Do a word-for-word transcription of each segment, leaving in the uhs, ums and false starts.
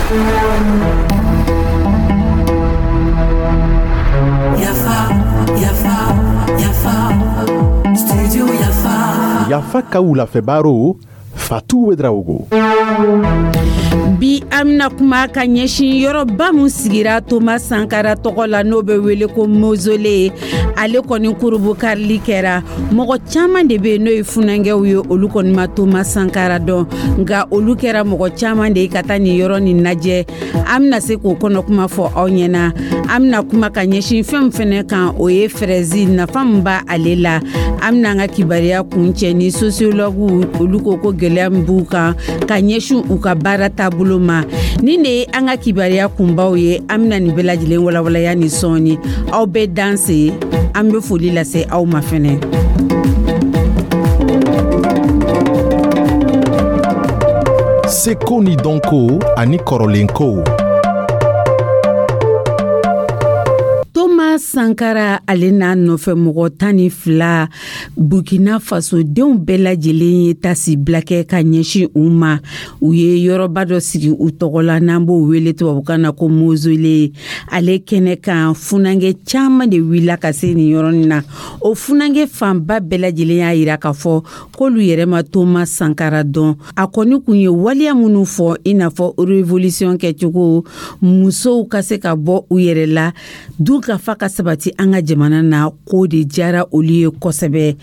Yafa, Yafa, Yafa, Studio Yafa. Yafa ka wulafɛ baro, Fatu Ouédraogo. Bi, an bɛna kuma ka ɲɛsin yɔrɔba min sigira Toma Sankara tɔgɔ la, n'o bɛ wele ko mausolée. Ale kɔni kurubukarili kɛra. Mɔgɔ caman de bɛ yen, n'o ye funankɛw ye, olu kɔni ma Toma Sankara dɔn, nka olu kɛra mɔgɔ caman de ye ka taa nin yɔrɔ nin lajɛ. An bɛna se k'o kɔnɔ kuma fɔ aw ɲɛna. An bɛna kuma ka ɲɛsin fɛn min fɛnɛ kan, o ye fraise, nafa min b'a ale la. An bɛna an ka kibaruya kuncɛ ni sociologue, olu ko ko gɛlɛya min b'u kan ka ɲɛsin u ka baara taabolo ma. Nin de ye an ka kibaruya kunbaw ye. An bɛna nin bɛɛ lajɛlen walawalaya ni sɔɔni. Aw bɛɛ danse. An bɛ foli lase aw ma fɛnɛ. Seko ni dɔnko ani kɔrɔlenkow. Toma Sankara, ale n'a nɔfɛ mɔgɔ tan ni fila, Burkina Faso denw bɛɛ lajɛlen ye tasibila kɛ ka ɲɛsin u ma. U ye yɔrɔba dɔ sigi u tɔgɔ la, n'an b'o wele tubabukan na ko mausolée. Ale kɛnɛ kan, funankɛ caman de wulila ka se nin yɔrɔnin na. O funankɛ fanba bɛɛ lajɛlen y'a yira k'a fɔ k'olu yɛrɛ ma Toma Sankara dɔn. A kɔni kun ye waleya minnu fɔ, i n'a fɔ révolution kɛcogo, musow ka se ka bɔ u yɛrɛ la, dun ka fa ka sabati an ka jamana na, k'o de diyara olu ye kosɛbɛ.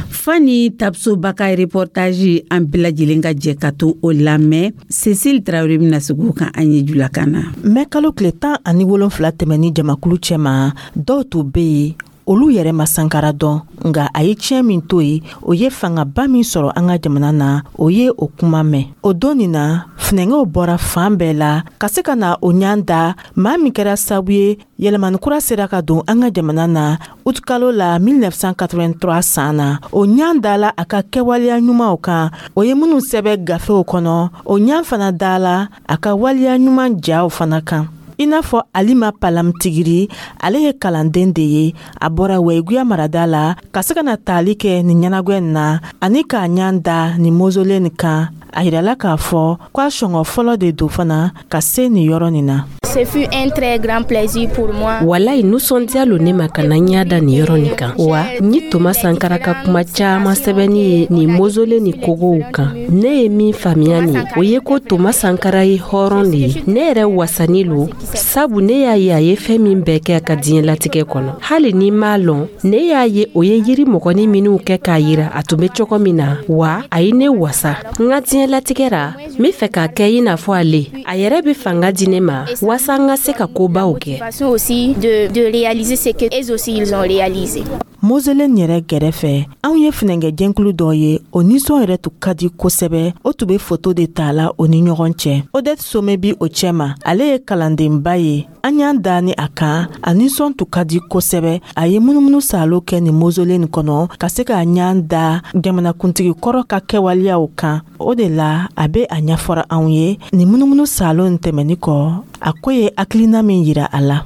Fani Tapsoba ka reportage, an bɛɛ lajɛlen ka jɛ ka to o lamɛn. Cécile Traoré bɛna segin o kan an ye julakan na. Mɛ kalo tile tan ani wolonfila tɛmɛni jamakulu cɛma, dɔw tun bɛ yen, olu yɛrɛ ma Sankara dɔn, nka a ye tiɲɛ min to yen, o ye fangaba min sɔrɔ an ka jamana na, o ye o kuma mɛn. O don nin na, funɛngɛw bɔra fan bɛɛ la ka se ka na o ɲan da maa min kɛra sababu ye yɛlɛmani kura sera ka don an ka jamana na utukalo la mille neuf cent quatre-vingt-trois san na. O ɲan dala a ka kɛwaleya ɲumanw kan, o ye minnu sɛbɛ gafew kɔnɔ. O ɲan fana dala a ka waleya ɲuman jaw fana kan, i n'a fɔ Alima Palamtigiri. Ale ye kalanden de ye, a bɔra Wɛyiguya marada la ka se ka na taali kɛ nin ɲɛnagwɛ nin na ani k'a ɲan da nin mausolée nin kan. A yirala k'a fɔ ko a sɔngɔ fɔlɔ de don fana ka se nin yɔrɔ nin na. Ce fut un très grand plaisir pour moi. Walayi, nisɔndiya lo ne ma ka na ɲa da nin yɔrɔ nin kan wa. N ye Toma Sankara ka kuma caaman sɛbɛnni ye nin mausolée ni kogow kan. Ne ye min faamuya nin, o ye ko Toma Sankara ye hɔrɔn de ye. Ne yɛrɛ wasani lo, sabu ne y'a ye a ye fɛn min bɛɛ kɛ a ka diɲɛlatigɛ kɔnɔ. Hali ni m'a lɔn, ne y'a ye o ye yiri mɔgɔni minw kɛ k'a yira a tun be cogo min na wa. A ye ne wasa. N ka diɲɛlatigɛ ra, n be fɛ k'a kɛ i n'a fɔ ale. A yɛrɛ be fanga di ne ma walasa n ka se ka kobaw kɛ. Aussi de, de réaliser ce que eux aussi ils ont réalisé. Mausolée yɛrɛ gɛrɛfɛ, anw ye funɛngɛ jɛnkulu dɔ ye, o nisɔn yɛrɛ tun ka di kosɛbɛ. O tun be foto de ta la o ni ɲɔgɔn cɛ. Odette Some bi o cɛma, ale ye kalandenba ye. An y'an da ni a kan, a nisɔn tun ka di kosɛbɛ. A ye munumunu salo kɛ nin mausolée nin kɔnɔ ka se k'a ɲan da jamanakuntigi kɔrɔ ka kɛwaleyaw kan. O de la a be a ɲɛfɔra anw ye, nin munumunu salo nin tɛmɛni kɔ, a ko ye hakilina min yira a la.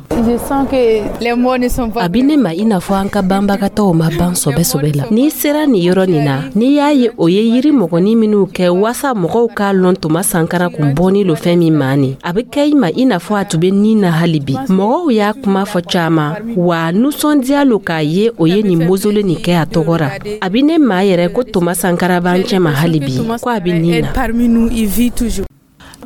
A bi ne ma i n'a fɔ an ka banbagatɔw ma ban sɔbɛ-sɔbɛ la. N'i sera nin yɔrɔ nin na, n'i y'a ye o ye yiri mɔgɔni minw kɛ waasa mɔgɔw k'a lɔn Toma Sankara kun bɔni lo fɛn min ma nin, a be kɛ i ma i n'a fɔ a tun be nin na hali bi. Mɔgɔw y'a kuma fɔ caaman wa. Nusɔndiya lo k'a ye o ye nin mausolée nin kɛ a tɔgɔ ra. A bi ne maa yɛrɛ ko Toma Sankara b'an cɛma hali bi, ko a be nin na.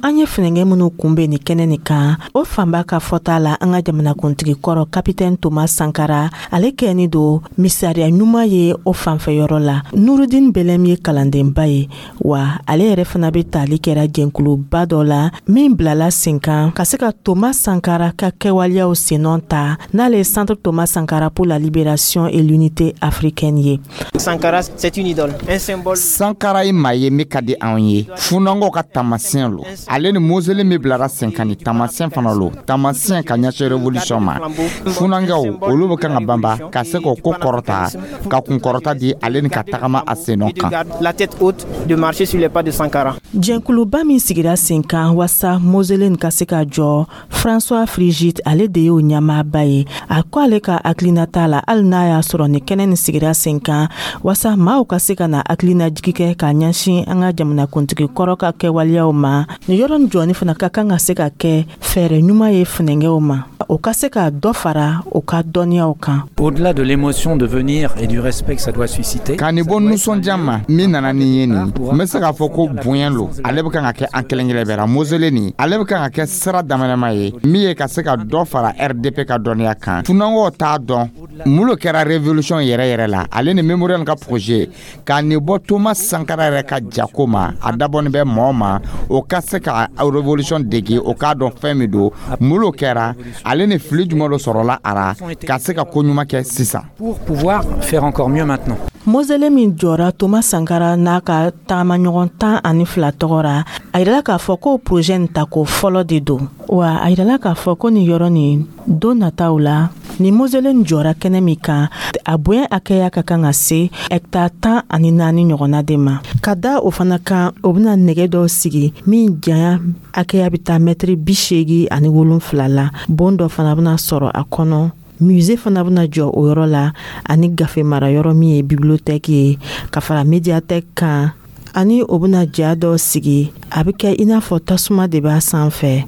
An ye funɛngɛ minw kunbɛn nin kɛnɛ nin kan, o fanba ka fɔta la, an ka jamanakuntigi kɔrɔ Kapitɛn Toma Sankara, ale kɛni don misaliya ɲuman ye o fanfɛyɔrɔ la. Nurudin Bɛlɛm ye kalandenba ye wa, ale yɛrɛ fana be tali kɛra jɛnkuluba dɔ la min bilala sen kan ka se ka Toma Sankara ka kɛwaleyaw sennɔ ta, n'ale ye Centre Thomas Sankara pour la libération et l'unité africaine ye. Sankara, c'est une idole, un symbole. Sankara ye maa ye min ka di anw ye. Funango ka taamasiyɛn lo. Ale ni mausolée min bilara sen kan, ni taamasiyɛn fana lo, taamasiyɛn ka ɲɛsin révolution ma. Funankɛw, olu bɛ kan ka banba ka se k'o ko kɔrɔta, ka kunkɔrɔta di ale ni ka tagama a sennɔ kan. La tête haute, de marcher sur les pas de Sankara. Jɛnkuluba min sigira sen kan waasa mausolée ka se ka jɔ, François Frigide, ale de y'o ɲɛmaaba ye. A ko ale ka hakilinata la, hali n'a y'a sɔrɔ ni kɛnɛ nin sigira sen kan waasa maaw ka se ka na hakilinajigi kɛ ka ɲɛsin an ka jamanakuntigi kɔrɔ ka kɛwaleyaw ma, nin Nin yɔrɔ nin jɔni fana ka kan ka se ka kɛ fɛɛrɛ ɲuman ye funɛnkɛw ma, o ka se ka dɔ fara o ka dɔnniyaw kan. Au-delà de l'émotion de venir et du respect que ça doit susciter. Ka nin bɔ nisɔndiya ma min nana ni ye nin, n bɛ se k'a fɔ ko bonya lo. Ale bɛ kan ka kɛ an kelen kelen bɛɛ la mausolée nin, ale bɛ kan ka kɛ sira daminɛma ye min ye ka se ka dɔ fara R D P ka dɔnniya kan. Funanw t'a dɔn mun lo kɛra révolution yɛrɛ yɛrɛ la. Ale ni mémorial ka projet ka nin bɔ Thomas Sankara yɛrɛ ka jako ma, a dabɔnin bɛ mɔɔ ma o ka se ka révolution dege, o k'a dɔn fɛn min don, mun lo kɛra, ale ni fili jumɛn dɔ sɔrɔla a ra, ka se ka ko ɲuman kɛ sisan. Pour pouvoir faire encore mieux maintenant. Mausolée min jɔra Thomas Sankara n'a ka tagamaɲɔgɔn tan ani fila tɔgɔ ra, a yirala k'a fɔ ko projet nin tako fɔlɔ de don. Wa a yirala k'a fɔ ko nin yɔrɔ nin, don nataw la, nin mausolée nin jɔra kɛnɛ min kan, a bonya hakɛya ka kan ka se hɛkitari tan ani naani ɲɔgɔnna de ma. Ka da o fana kan, o bɛna nɛgɛ dɔw sigi min janya hakɛya bɛ taa mɛtiri bi seegi ani wolonfila la. Bon dɔ fana bɛna sɔrɔ a kɔnɔ. Musée fana bɛna jɔ o yɔrɔ la, ani gafe mara yɔrɔ min ye bibliothèque ye, ka fara médiathèque kan. Ani o bɛna ja dɔ sigi, a bɛ kɛ i n'a fɔ tasuma de b'a sanfɛ,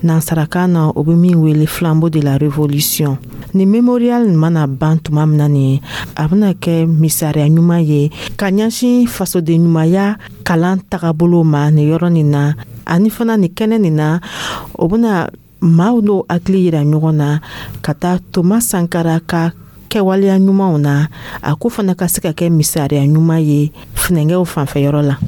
nansarakan na o bɛ min wele flambeau de la révolution. Ni mémorial nin mana ban tuma min na nin, a bɛna kɛ misaliya ɲuman ye ka ɲɛsin fasoden ɲumanya kalan tagabolo ma nin yɔrɔ nin na. Ani fana nin kɛnɛ nin na, o bɛna maaw n'o hakili yira ɲɔgɔn na ka taa Thomas Sankara ka kɛwaleya ɲumanw na, a ko fana ka se ka kɛ misaliya ɲuman ye funɛnkɛw fanfɛyɔrɔ la.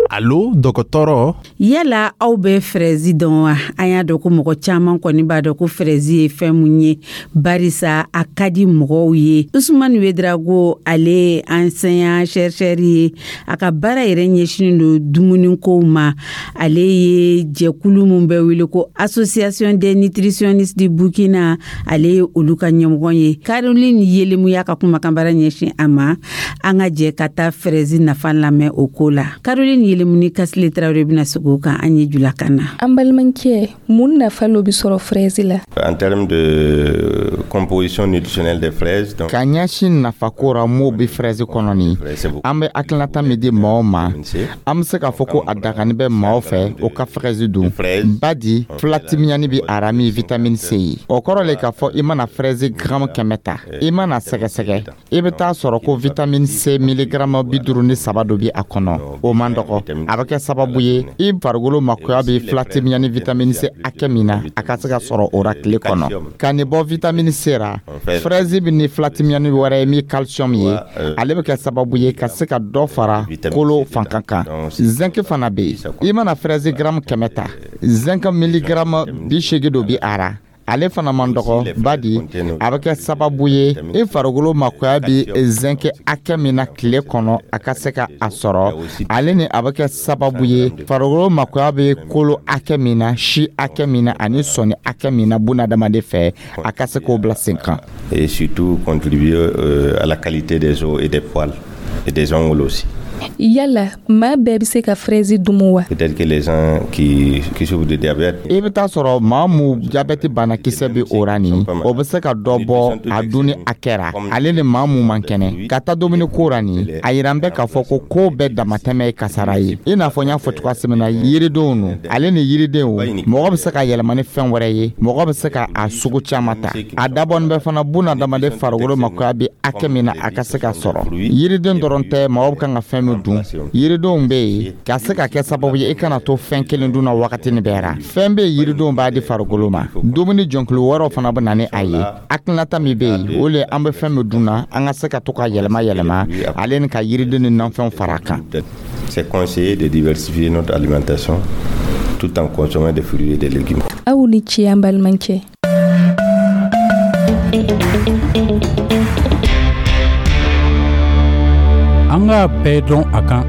Alo dɔgɔtɔrɔ. Yala aw bɛ fraise dɔn wa? An y'a dɔn ko mɔgɔ caman kɔni b'a dɔn ko fraise ye fɛn mun ye, barisa a ka di mɔgɔw ye. Usumani Wedrago, ale ye enseignant chercheur ye, a ka baara yɛrɛ ɲɛsinnen don dumunikow ma. Ale ye jɛkulu min bɛ wele ko Association des nutritionnistes du Burkina, ale ye olu ka ɲɛmɔgɔ ye. Caroline Yelemu y'a ka kumakanbara ɲɛsin a ma. An ka jɛ ka taa fraise nafa lamɛn o ko la. Caroline Yelemuni Kasile Tarawele bɛna segin o kan an ye julakan na. An balimakɛ, mun nafa lo bɛ sɔrɔ fraise la? En termes de composition nutritionnelle des fraises, donc ka ɲɛsin nafako ra m'o bɛ fraise kɔnɔ nin, an bɛ hakilinata min di maaw ma, an bɛ se k'a fɔ ko a dagani bɛ maaw fɛ o ka fraise dun, badi filatimiyani bɛ a ra min vitamine C ye. O kɔrɔ le k'a fɔ i mana fraise gramme kɛmɛ ta, i mana sɛgɛsɛgɛ, i bɛ taa sɔrɔ ko vitamine C milligramme bi duuru ni saba dɔ bɛ a kɔnɔ. O man dɔgɔ. A bɛ kɛ sababu ye i farikolo makoya bɛ filatimiyani vitamine C hakɛ min na, a ka se ka sɔrɔ o ra tile kɔnɔ. Ka nin bɔ vitamine C ra, fraise bɛ ni filatimiyani wɛrɛ ye min calcium ye, ale bɛ kɛ sababu ye ka se ka dɔ fara kolo fanka kan. Zinc fana bɛ yen. I mana fraise gramme kɛmɛ ta, zinc milligramme bi seegin dɔ bɛ a ra. Ale fana man dɔgɔ, badi a bɛ kɛ sababu ye i farikolo makoya bɛ zinc hakɛ min na tile kɔnɔ, a ka se ka a sɔrɔ. Ale ni a bɛ kɛ sababu ye farikolo makoya bɛ kolo hakɛ min na, si hakɛ min na ani sɔni hakɛ min na bunadamaden fɛ, a ka se k'o bila sen kan. Et surtout contribuer à la qualité des os et des poils et des ongles aussi. Yala maa bɛɛ bɛ se ka fraise dumu wa? Peut-être que les gens qui qui souffrent de diabète. I bɛ taa sɔrɔ maa mun diabète banakisɛ bɛ o ra nin, o bɛ se ka dɔ bɔ a dunni hakɛ ra. Ale ni maa mun man kɛnɛ ka taa dumuni ko ra nin, a yira n bɛ k'a fɔ ko ko bɛɛ damatɛmɛ ye kasara ye. I n'a fɔ n y'a fɔ cogoya min na, yiridenw no, ale ni yiridenw, mɔgɔ bɛ se ka yɛlɛma ni fɛn wɛrɛ ye, mɔgɔ bɛ se ka a sugu caman ta. A dabɔnin bɛ fana bunadamaden farikolo makoya bɛ hakɛ min na, a ka se ka sɔrɔ. Yiriden dɔrɔn tɛ, mɔgɔ bɛ kan ka fɛn min dun, yiridenw bɛ yen ka se ka kɛ sababu ye i kana to fɛn kelen dun na wagati ni bɛɛ ra. Fɛn bɛ yen yiridenw b'a di farikolo ma, dumuni jɔnkulu wɛrɛw fana bɛ na ni a ye. Hakilinata min bɛ yen, o le an bɛ fɛn min dun na, an ka se ka to ka yɛlɛma yɛlɛma ale ni ka yiriden ni nafɛnw fara a kan. C'est conseillé de diversifier notre alimentation tout en consommant des fruits et des légumes. Aw ni ce, an balimakɛ. An k'a bɛɛ dɔn a kan.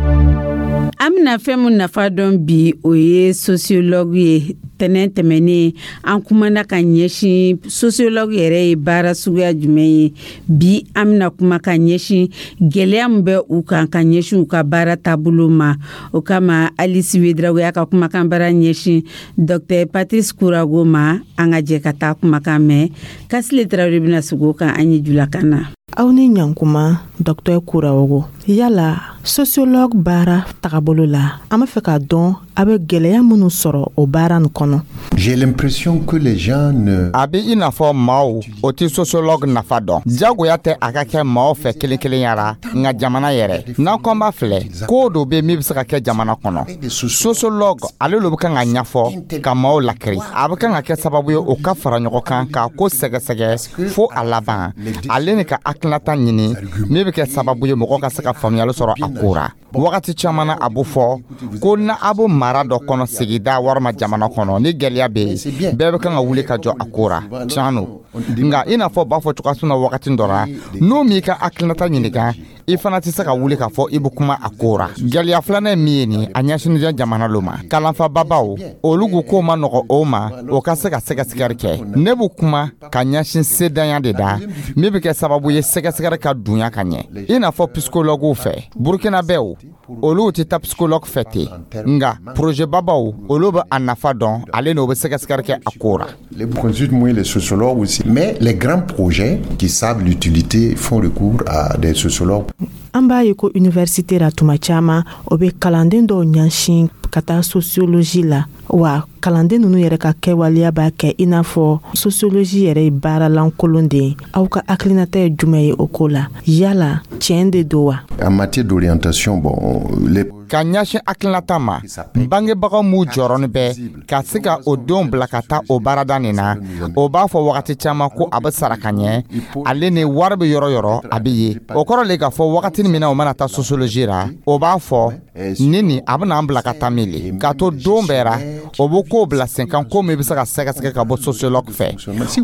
An bɛna fɛn min nafa dɔn bi, o ye sociologue ye. Tɛnɛn tɛmɛnen, an kumana ka ɲɛsin sociologue yɛrɛ ye baara suguya jumɛn ye. Bi an bɛna kuma ka ɲɛsin gɛlɛya min bɛ u kan ka ɲɛsin u ka baara taabolo ma. O kama, Alice Wedrago y'a ka kumakan baara ɲɛsin Docteur Patrice Kourago ma. An ka jɛ ka taa kumakan mɛn. Kasile Tarawele bɛna sigi o kan an ye julakan na. Aw ni ɲankuma, Docteur Kurawogo. Yala sociologue baara tagabolo la, an b'a fɛ k'a dɔn a bɛ gwɛlɛya minnu sɔrɔ o baara nin kɔnɔ. J'ai l'impression que les gens ne A bɛ i n'a fɔ maaw o tɛ sociologue nafa dɔn. Jagoya tɛ a ka kɛ maaw fɛ kelen kelenya ra, nka jamana yɛrɛ n'an ko an b'a filɛ, ko dɔ bɛ min bɛ se ka kɛ jamana kɔnɔ, sociologue ale lo bɛ kan ka ɲɛfɔ ka maaw lakiri. A bɛ kan ka kɛ sababu ye o ka fara ɲɔgɔn kan k'a ko sɛgɛsɛgɛ fo a laban, ale ni ka hakilinata ɲini min bɛ kɛ sababu ye mɔgɔ ka se ka faamuyali sɔrɔ a ko ra. Wagati caman na, a bɛ fɔ ko na a bɛ mara dɔ kɔnɔ, sigida walima jamana kɔnɔ, ni gɛlɛya bɛ yen, bɛɛ bɛ kan ka wuli ka jɔ a ko ra. Tiɲɛ don, nka i n'a fɔ b'a fɔ cogoya min na, wagati dɔ la, n'o m'i ka hakilinata ɲininka, i fana tɛ se ka wuli k'a fɔ i bɛ kuma a ko ra. Gɛlɛya filanan ye min ye nin, a ɲɛsinnen tɛ jamana lo ma. Kalanfababaw olu ko k'o ma nɔgɔ o ma o ka se ka sɛgɛsɛgɛli kɛ. Ne bɛ kuma ka ɲɛsin sedanya de da min bɛ kɛ sababu ye sɛgɛsɛgɛli ka dunya ka ɲɛ, i n'a fɔ psychologuew fɛ. Burkinabɛw, olu tɛ taa psychologue fɛ ten, nka projet babaw, olu bɛ a nafa dɔn, ale n'o bɛ sɛgɛsɛgɛli kɛ a ko ra. Les consultent moins les sociologues aussi. Mais les grands projets qui savent l'utilité font recours à des sociologues. An b'a ye ko université la, tuma caman o bɛ kalanden dɔw ɲɛsin ka taa sociologie la. Wa kalanden ninnu yɛrɛ ka kɛwaleya b'a kɛ i n'a fɔ sociologie yɛrɛ ye baaralankolon de ye. Aw ka hakilinata ye jumɛn ye o ko la? Yala tiɲɛ de don wa? En matière d'orientation, bon, les Ka ɲɛsin hakilinata ma, bangebagaw m'u jɔrɔni bɛ ka se ka o denw bila ka taa o baarada nin na. O b'a fɔ wagati caman ko a bɛ sara ka ɲɛ, ale ni wari bɛ yɔrɔ yɔrɔ a bɛ ye. O kɔrɔ le k'a fɔ wagati min na o mana taa sociologie ra, o b'a fɔ ni nin a bɛna an bila ka taa min le k'a to don bɛɛ ra, o bɛ kow bila sen kan, ko min bɛ se ka sɛgɛsɛgɛ ka bɔ sociologue fɛ.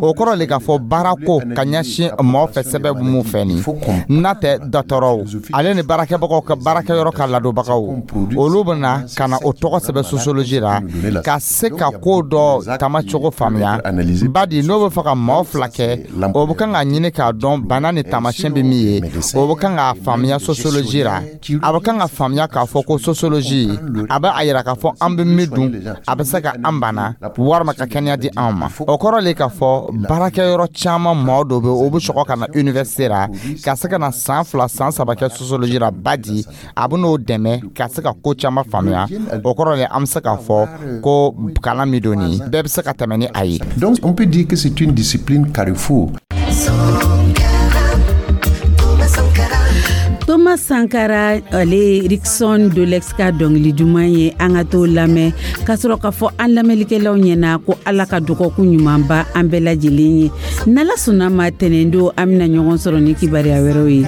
O kɔrɔ le k'a fɔ baara ko ka ɲɛsin mɔgɔ fɛ sɛbɛn mun fɛ nin n'a tɛ dɔgɔtɔrɔw, ale ni baarakɛbagaw ka baarakɛyɔrɔ ka ladonbagaw, olu bɛ na ka na o tɔgɔ sɛbɛn sociologie la ka se ka ko dɔ tamacogo faamuya. Badi n'o bɛ fɛ ka mɔgɔ fila kɛ, o bɛ kan ka ɲini k'a dɔn bana ni taamasiyɛn bɛ min ye, o bɛ kan k'a faamuya sociologie la. A bɛ kan ka faamuya k'a fɔ ko sociologie a bɛ a yira k'a fɔ an bɛ min dun, a bɛ se ka an bana walima ka kɛnɛya di anw ma. O kɔrɔ le k'a fɔ baarakɛyɔrɔ caman mɔgɔ dɔw bɛ, o bɛ sɔgɔ ka na université la ka se ka na san fila, san saba kɛ sociologie la. Badi a bɛ n'o dɛmɛ ka se ka ko caman faamuya. O kɔrɔ le an bɛ se k'a fɔ ko kalan min don nin, bɛɛ bɛ se ka tɛmɛ ni a ye. Donc on peut dire que c'est une discipline carrefour. Thomas Sankara. Thomas Sankara, ale Rickson Dolex ka dɔngili duman ye. An ka t'o lamɛn ka sɔrɔ k'a fɔ an lamɛnlikɛlaw ɲɛna ko Ala ka dɔgɔkun ɲumanba an bɛɛ lajɛlen ye. N'Ala sɔnna ma, tɛnɛn don an bɛna ɲɔgɔn sɔrɔ ni kibaruya wɛrɛw ye.